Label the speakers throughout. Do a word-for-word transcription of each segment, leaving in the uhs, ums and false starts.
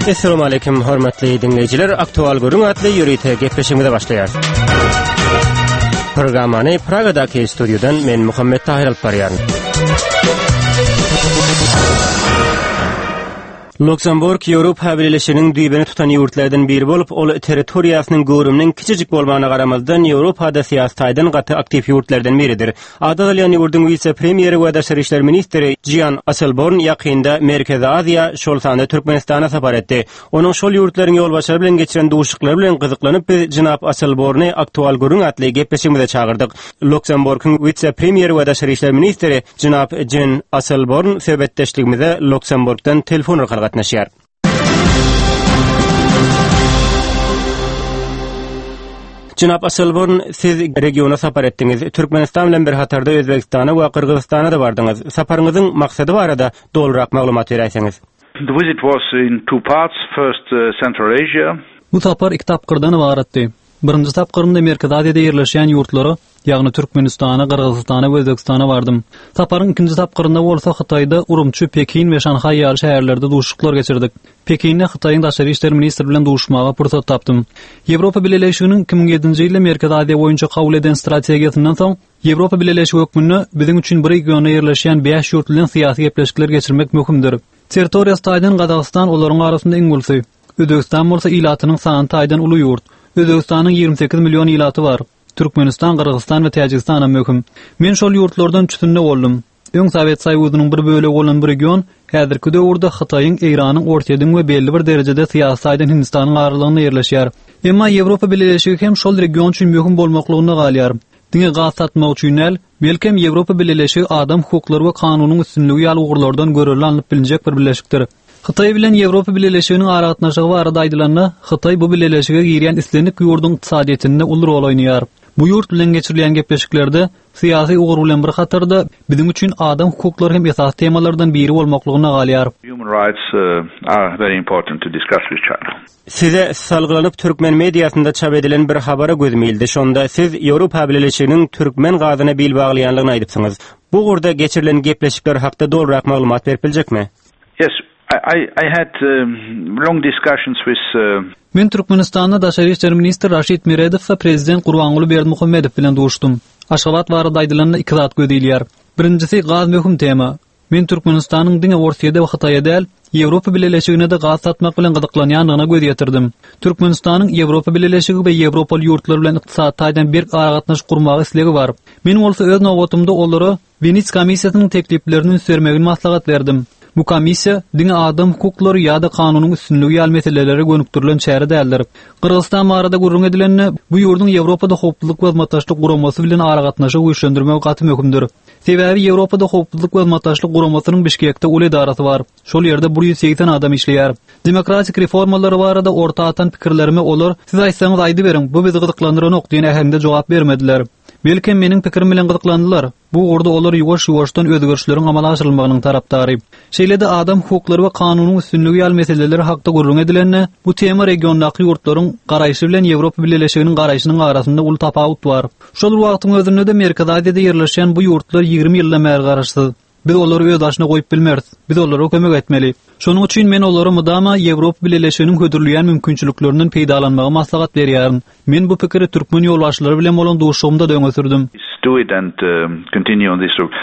Speaker 1: Esselamu aleýkum hormatly diňleýjiler. Aktual gürrüň atly ýörite gepleşigimize başlaýarys. Programmany Pragadaky studiýadan men Muhammet Tahir alyp barýaryn. Luksemburg Ýewropa Bileleşiginiň düýbüni tutan ýurtlardan biri bolup, ol territoriýasynyň göwrüminiň kiçijik bolmagyna garamazdan Ýewropada syýasy taýdan gaty aktiw ýurtlardan biridir. Ady agzalýan ýurduň wise-premýeri we daşary işler ministri Jean Asselborn ýakynda Merkezi Aziýa, şol sanda Türkmenistana sapar etdi. Onuň şol ýurtlaryň ýolbaşçylary bilen geçiren duşuşyklary bilen gyzyklanyp biz jenap Asselborny Aktual gürrüň atly gepleşigimize çagyrdyk. Luksemburgyň wise-premýeri we daşary işler ministri jenap Jean Asselborn söhbetdeşligimize Luksemburgdan telefon arkaly gatnaşýar. Jenap Asselborn, siz regiona sapar etdiňiz. Türkmenistan bilen bir hatarda Özbegistana we Gyrgyzystana da bardyňyz. Saparyňyzyň maksady barada dolurak maglumat beräýseňiz.
Speaker 2: The visit was in two parts. First, uh, Central Asia.
Speaker 3: Bu sapar iki tapgyrdan ybaratdy. Birinji tapgyrynda Merkezi Aziýada ýerleşýän ýurtlara, ýagny Türkmenistana, Gyrgyzystana we Özbegistana bardym. Saparyň ikinji tapgyrynda bolsa Hytaýda Urumçy, Pekin we Şanhaý ýaly şäherlerde duşuşyklar geçirdik. Pekinde Hytaýyň daşary işler ministri bilen duşuşmaga pursat tapdym. Ýewropa Bileleşiginiň iki müň ýedinji ýylda Merkezi Aziýa boýunça kabul eden strategiýasyndan soň Ýewropa Bileleşigi hökmünde biziň üçin bir regionda ýerleşýän bäş ýurt bilen syýasy gepleşikler geçirmek möhümdir. Territoriýasy taýdan Gazagystan olaryň arasynda iň ulusy. Özbegistan bolsa ilatynyň sany taýdan uly ýurt. Özbegistanyň ýigrimi sekiz million ilaty bar. Türkmenistan, Gyrgyzystan we Täjigistan hem möhüm. Men şol ýurtlardan üçüsinde boldum. Öň Sowet Soýuzynyň bir bölegi bolan bu region häzirki döwürde Hytaýyň, Eýranyň, Orsýetiň we belli bir derejede syýasy taýdan Hindistanyň aralygynda ýerleşýär. Emma Ýewropa Bileleşigi hem şol region üçin möhüm bolmaklygynda galýar. Diňe gaz satmak üçin däl, belkem Ýewropa Bileleşigi adam hukuklary we kanunyň üstünligi ýaly ugurlardan görelde alnyp bilinjek bir birleşikdir. Hytaý bilen Ýewropa Bileleşiginiň aragatnaşygy barada aýdylanda, Hytaý bu bileleşige girýän islendik ýurduň ykdysadyýetinde uly rol oýnaýar. Bu ýurt bilen geçirilýän gepleşiklerde syýasy ugur bilen bir hatarda biziň üçin adam hukuklary hem esasy temalardan biri bolmaklygyna galýar.
Speaker 2: Human rights, uh, are very important to discuss with China.
Speaker 1: Size salgylanyp türkmen mediasynda çap edilen bir habara gözüm ildi. Şonda siz Ýewropa Bileleşiginiň türkmen gazyna bil baglaýanlygyny aýdypsyňyz. Bu ugurda geçirilen gepleşikler hakda dolurak maglumat berip biljekmi?
Speaker 2: Yes, I, I, I had, um, long discussions with, uh,
Speaker 3: Men Türkmenistanda daşary işler ministri Raşid Meredow we prezident Gurbanguly Berdimuhamedow bilen duşdum. Aşgabat barada aýdylanda iki zat göz ilýär. Birincisi gaz möhüm tema. Men Türkmenistanyň diňe Orsýede we Hytaýa däl, Ýewropa Bileleşigine de gaz satmak bilen gyzyklanýandygyna göz ýetirdim. Türkmenistanyň Ýewropa Bileleşigi we Ýewropaly ýurtlar bilen ykdysady taýdan berk aragatnaşyk gurmaga islegi bar. Men bolsa öz nobatymda olara Wenetsiýa komissiýasynyň tekliplerini üns bermegini maslahat berdim. Bu komissiýa diňe adam hukuklary ýa-da kanunyň üstünligi ýaly meselelere gönükdirilen çäre däldir. Gyrgyzystan barada gürrüň edilende, bu ýurduň Ýewropada howpsuzlyk we hyzmatdaşlyk guramasy bilen aragatnaşygy güýçlendirmek gaty möhümdir. Sebäbi Ýewropada howpsuzlyk we hyzmatdaşlyk guramasynyň Bişkekde uly edarasy bar. Şol ýerde bir ýüz segsen adam işleýär. Demokratik reformalary barada orta atan pikirlerime olar, siz aýtsaňyz aýdyberiň, bu bizi gyzyklandyranok diýen äheňde jogap bermediler. Belki meniň pikirim bilen gyzyklandylar. Bu ugurda olar ýuwaş-ýuwaşdan özgerişleriň amala aşyrylmagynyň tarapdary. Şeýle-de adam hukuklary we kanunyň üstünligi ýaly meseleler hakda gürrüň edilende, bu tema regiondaky ýurtlaryň garaýşy bilen Ýewropa Bileleşiginiň garaýşynyň arasynda uly tapawut bar. Şol wagtyň özünde-de Merkezi Aziýada ýerleşýän bu ýurtlar ýigrimi ýyldan bäri garaşsyz. Biz olary öz başyna goýup bilmeris. Biz olara kömek etmeli. Şonuň üçin men olara mydama Ýewropa Bileleşiginiň hödürleýän mümkinçiliklerinden peýdalanmagy maslahat berýärin. Men bu pikiri türkmen ýolbaşçylary bilen bolan duşuşygymda da öňe sürdüm.
Speaker 2: Do it and, um, continue on this route.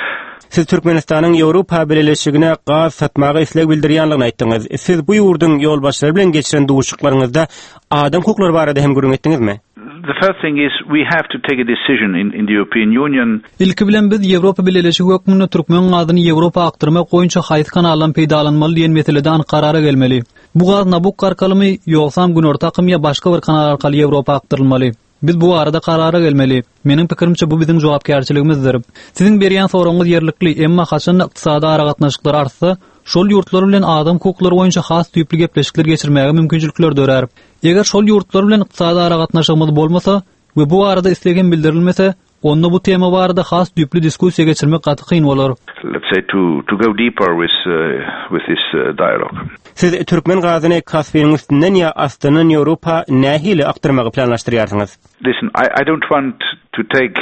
Speaker 1: Siz Türkmenistanyň Ýewropa Bileleşigine gaz satmaga isleg bildirýänligini aýtdyňyz. Siz bu ýurduň ýolbaşçylary bilen geçiren duşuşyklaryňyzda adam hukuklary barada hem gürrüň etdiňizmi?
Speaker 2: The first thing is we have to take a decision in, in the European Union.
Speaker 3: Ilki bilen biz Ýewropa Bileleşigi hökmünde türkmen gazyny Ýewropa akdyrmak boýunça haýsy kanaldan peýdalanmaly diýen meselede anyk karara gelmeli. Bu gaz Nabukko arkalymy, ýogsam Günorta akym ýa başga bir kanal arkaly Ýewropa akdyrylmaly. Biz bu barada karara gelmeli. Meniň pikirimçe bu biziň jogapkärçiligimizdir. Siziň berýän soragyňyz ýerlikli, emma haçanda ykdysady aragatnaşyklar artsa, şol ýurtlar bilen adam hukuklary boýunça has düýpli gepleşikler geçirmäge mümkinçilikler dörär. Eger şol ýurtlar bilen ykdysady aragatnaşygymyz bolmasa we bu barada isleg hem bildirilmese, onda bu tema barada has düýpli diskussiýa geçirmek gaty kyn bolar.
Speaker 2: Let's say to, to go deeper with, uh, with this, uh, dialogue.
Speaker 1: Siz türkmen gazyny Kaspiniň üstünden ýa astyndan Ýewropa nähili akdyrmagy planlaşdyrýarsyňyz?
Speaker 2: Listen, I, I don't want to take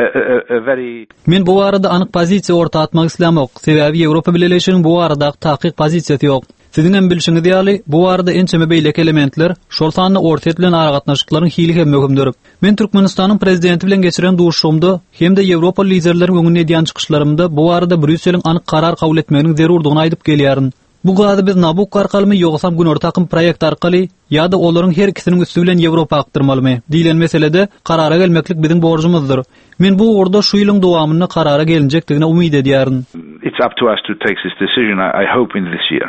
Speaker 2: a, a, a very
Speaker 3: Men bu barada anyk pozisiýa orta atmak islämok. Sebäbi Ýewropa Bileleşiginiň bu baradaky takyk pozisiýasy ýok. Siziň hem bilşiňiz ýaly, bu barada ençeme beýleki elementler, şol sanda Orsýet bilen aragatnaşyklaryň hili hem möhümdir. Men Türkmenistanyň prezidenti bilen geçiren duşuşygymda hem-de Ýewropa liderleriniň öňünde edýän çykyşlarymda bu barada Brýusseliň anyk karar kabul etmeginiň zerurdygyny aýdyp gelýärin. Bu gazy biz Nabukko arkalymy ýogsam Günorta akym proýekt arkaly ýa-da olaryň her ikisiniň üsti bilen Ýewropa akdyrmalymy diýlen meselede karara gelmeklik biziň borjumyzdyr. Men bu ugurda şu ýylyň dowamynda karara gelinjekdigine umyt edýärin.
Speaker 2: It's up to us to take this decision, I, I hope in this year.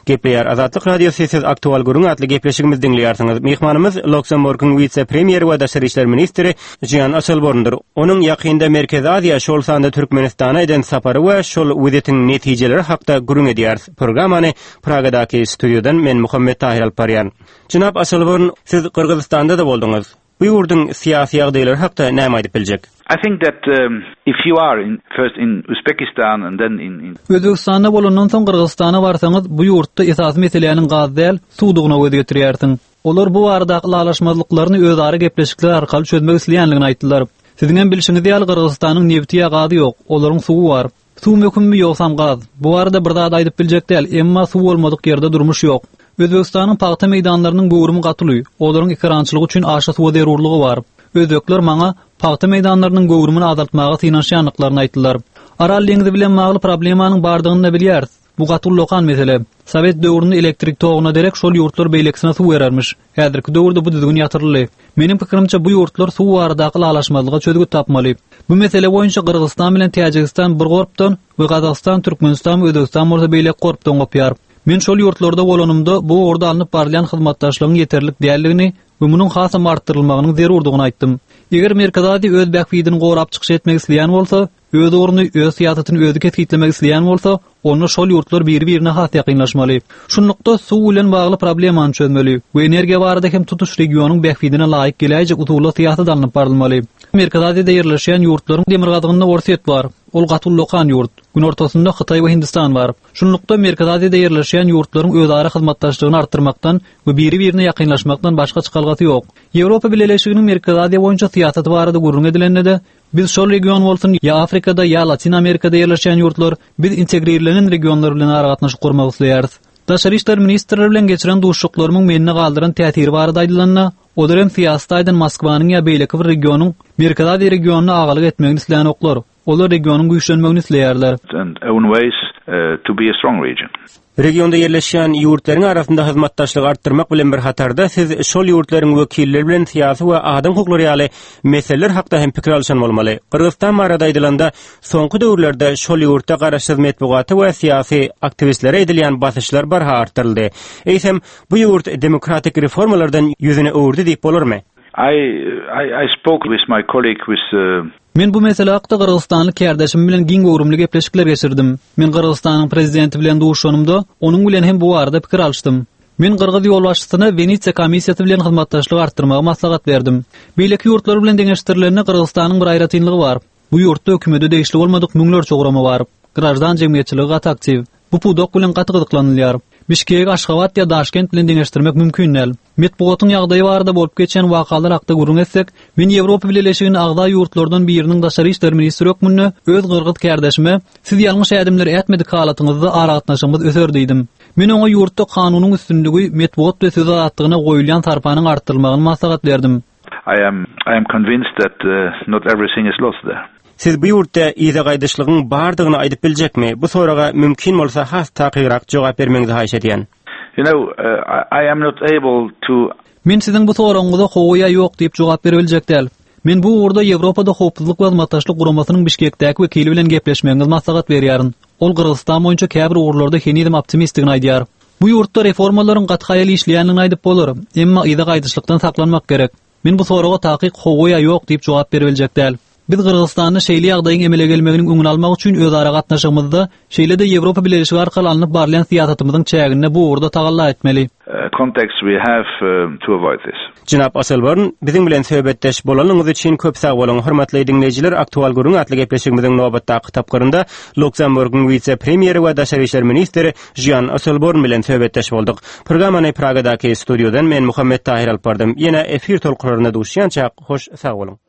Speaker 1: Gepleýär Azatlyk Radiosy siz aktual gürrüň atly gepleşigimizi diňleýärsiňiz. Myhmanymyz Luksemburgyň wise-premýeri we daşary işler ministri Jean Asselborndyr. Onuň ýakynda Merkezi Aziýa, şol sanda Türkmenistana eden sapary we şol wizitiň netijeleri hakda gürrüň edýäris. Programmany Pragadaky studiýadan men Muhammet Tahir alyp barýan. Jenap Asselborn, siz Gyrgyzystanda-da bolduňyz. Bu ýurduň syýasy ýagdaýlary hakda näme aýdyp biljek?
Speaker 2: I think that um, if you are in, first in Uzbekistan and then in, in
Speaker 3: Özbegistanda bolandan soň Gyrgyzystana barsaňyz, bu ýurtda esasy meseläniň gaz däl, suwdugyna göz getirýärsiň. Olar bu barada ylalaşmazlyklaryny özara gepleşikler arkaly çözmek isleýänligini aýtdylar. Siziň hem bilşiňiz ýaly Gyrgyzystanyň nebti ýa gazy ýok, olaryň suwy bar. Suw möhümmi ýogsam gaz? Bu barada bir zat aýdyp biljek däl, emma suw bolmadyk ýerde durmuş ýok. Özbegistanyň pagta meýdanlarynyň göwrümi gaty uly, olaryň ekerançylygy üçin aşa suwa zerurlygy bar. Özbekler maňa pagta meýdanlarynyň göwrümini azaltmaga synanyşýandyklaryny aýtdylar. Aral deňzi bilen bagly problemanyň bardygyny da bilýäris. Bu gaty ullakan mesele. Sowet döwründe elektrik toguna derek şol ýurtlar beýlekisine suw berermiş. Häzirki döwürde bu düzgün ýatyryldy. Meniň pikirimçe bu ýurtlar suw baradaky ylalaşmazlyga çözgüt tapmaly. Bu mesele boýunça Gyrgyzystan bilen Täjigistan bir gorpdan we Gazagystan, Türkmenistan we Özbegistan bolsa beýleki gorpdan gopýar. Men şol ýurtlarda bolanymda bu ugurda alnyp barylýan hyzmatdaşlygyň ýeterlik däldigini we munuň hasam artdyrylmagynyň zerurdygyny aýtdym. Eger Merkezi Aziýa öz bähbidini gorap çykyş etmek isleýän bolsa, öz ugruny, öz syýasatyny özi kesgitlemek isleýän bolsa, onda şol ýurtlar biri-birine has ýakynlaşmaly. Şunlukda suw bilen bagly problemany çözmeli we energiýa barada hem tutuş regionyň bähbidine laýyk geläýjek usulda syýasat alnyp barylmaly. Merkezi Aziýada ýerleşýän ýurtlaryň demirgazygynda Orsýet bar. Ol gaty ullakan ýurt. Günortasynda Hytaý we Hindistan bar. Şunlukda Merkezi Aziýada ýerleşýän ýurtlaryň özara hyzmatdaşlygyny artdyrmakdan we biri-birine ýakynlaşmakdan başga çykalgasy ýok. Ýewropa Bileleşiginiň Merkezi Aziýa boýunça syýasaty barada gürrüň edilende-de biz şol region bolsun ýa Afrikada ýa Latin Amerikada ýerleşýän ýurtlar biz integrirlenen regionlar bilen aragatnaşyk gurmak isleýäris. Daşary işler ministrleri bilen geçiren duşuşyklarymyň mende galdyran täsiri barada aýdylanda, olar hem syýasy taýdan Moskwanyň ýa beýleki bir regionyň Merkezi Aziýa regionyna agalyk etmegini isleýänoklar. Olar regionyň güýçlenmegini isleýärler.
Speaker 2: and own ways uh, to be a strong region.
Speaker 1: Regionda ýerleşýän ýurtlaryň arasynda hyzmatdaşlygy artdyrmak bilen bir hatarda siz şol ýurtlaryň wekilleri bilen syýasy we adam hukuklary ýaly meseleler hakda hem pikir alyşan bolmaly. Gyrgyzystan barada aýdylanda, soňky döwürlerde şol ýurtda garaşsyz metbugaty we syýasy aktiwistlere edilýän basyşlar barha artdyryldy. Eýsem, bu ýurt demokratik reformalardan ýüzüni öwürdi diýip bolarmy?
Speaker 2: I, I, I spoke with my colleague with uh,
Speaker 3: Men bu mesele hakda Gyrgyzystanly kärdeşim bilen giň göwrümli gepleşikler geçirdim. Men Gyrgyzystanyň prezidenti bilen duşuşanymda onuň bilen hem bu barada pikir alyşdym. Men Gyrgyz ýolbaşçysyna Wenesiýa komissiýasy bilen hyzmatdaşlyk artdyrmagy maslahat berdim. Beýleki ýurtlar bilen deňeşdirilende Gyrgyzystanyň bir aýratynlygy bar. Bu ýurtda hökümete degişli bolmadyk müňlerçe gurama bar. Graždan jemgyýetçiligi gaty aktiw. Bu pudak bilen gaty gyzyklanylýar. Bişkek, Aşgabat ýa Daşkent bilen deňeşdirmek mümkin däl. Metbugatyň ýagdaýy barada bolup geçen wakalar hakda gürrüň etsek, men Ýewropa Bileleşiginiň agza ýurtlardan biriniň daşary işler ministri hökmünde öz gyrgyz kärdeşime siz ýalňyş ädimler ätmedik halatyňyzda aragatnaşygymyz öser diýdim. Men oňa ýurtda kanunyň üstünligi, metbugat we söz azatlygyna goýulýan sarpanyň artdyrylmagyny maslahat berdim.
Speaker 2: I am I am convinced that uh, not everything is lost there.
Speaker 1: Siz bu ýurtda yza gaýdyşlygyň bardygyny aýdyp biljekmi? Bu soraga mümkin bolsa has takygrak jogap bermegiňizi haýyş edýän.
Speaker 2: You know, uh, I, I am not able to
Speaker 3: Men siziň bu soragyňyza hawa ýa ýok diýip jogap bere biljek däl. Men bu ugurda Ýewropada howpsuzlyk we hyzmatdaşlyk guramasynyň Bişkekdäki wekili bilen gepleşmegiňizi maslahat berýärin. Ol Gyrgyzystan boýunça käbir ugurlarda henizem optimistdigini aýdýar. Bu ýurtda reformalaryň gaty haýal işleýändigini aýdyp bolar, emma yza gaýdyşlykdan saklanmak gerek. Men bu soraga takyk hawa ýa ýok diýip jogap bere biljek däl. Biz Gyrgyzystanda şeýle ýagdaýyň emele gelmeginiň öňüni almak üçin özara gatnaşygymyzda, şeýle-de Ýewropa Bileleşigi arkaly alnyp barylýan syýasatymyzyň çäginde bu ugurda tagalla etmeli.
Speaker 2: uh, context we have uh, to avoid this.
Speaker 1: Jenap Asselborn, biziň bilen söhbetdeş bolanyňyz üçin köp sag boluň. Hormatly diňleýjiler, aktual gürrüň atly gepleşigimiziň nobatdaky tapgyrynda Luksemburgyň wise-premýeri we daşary işler ministri Jean Asselborn bilen söhbetdeş bolduk. Programmany Pragadaky studiýadan men Muhammet Tahir alyp bardym. Ýene efir tolkunlarynda duşýança hoş sag boluň.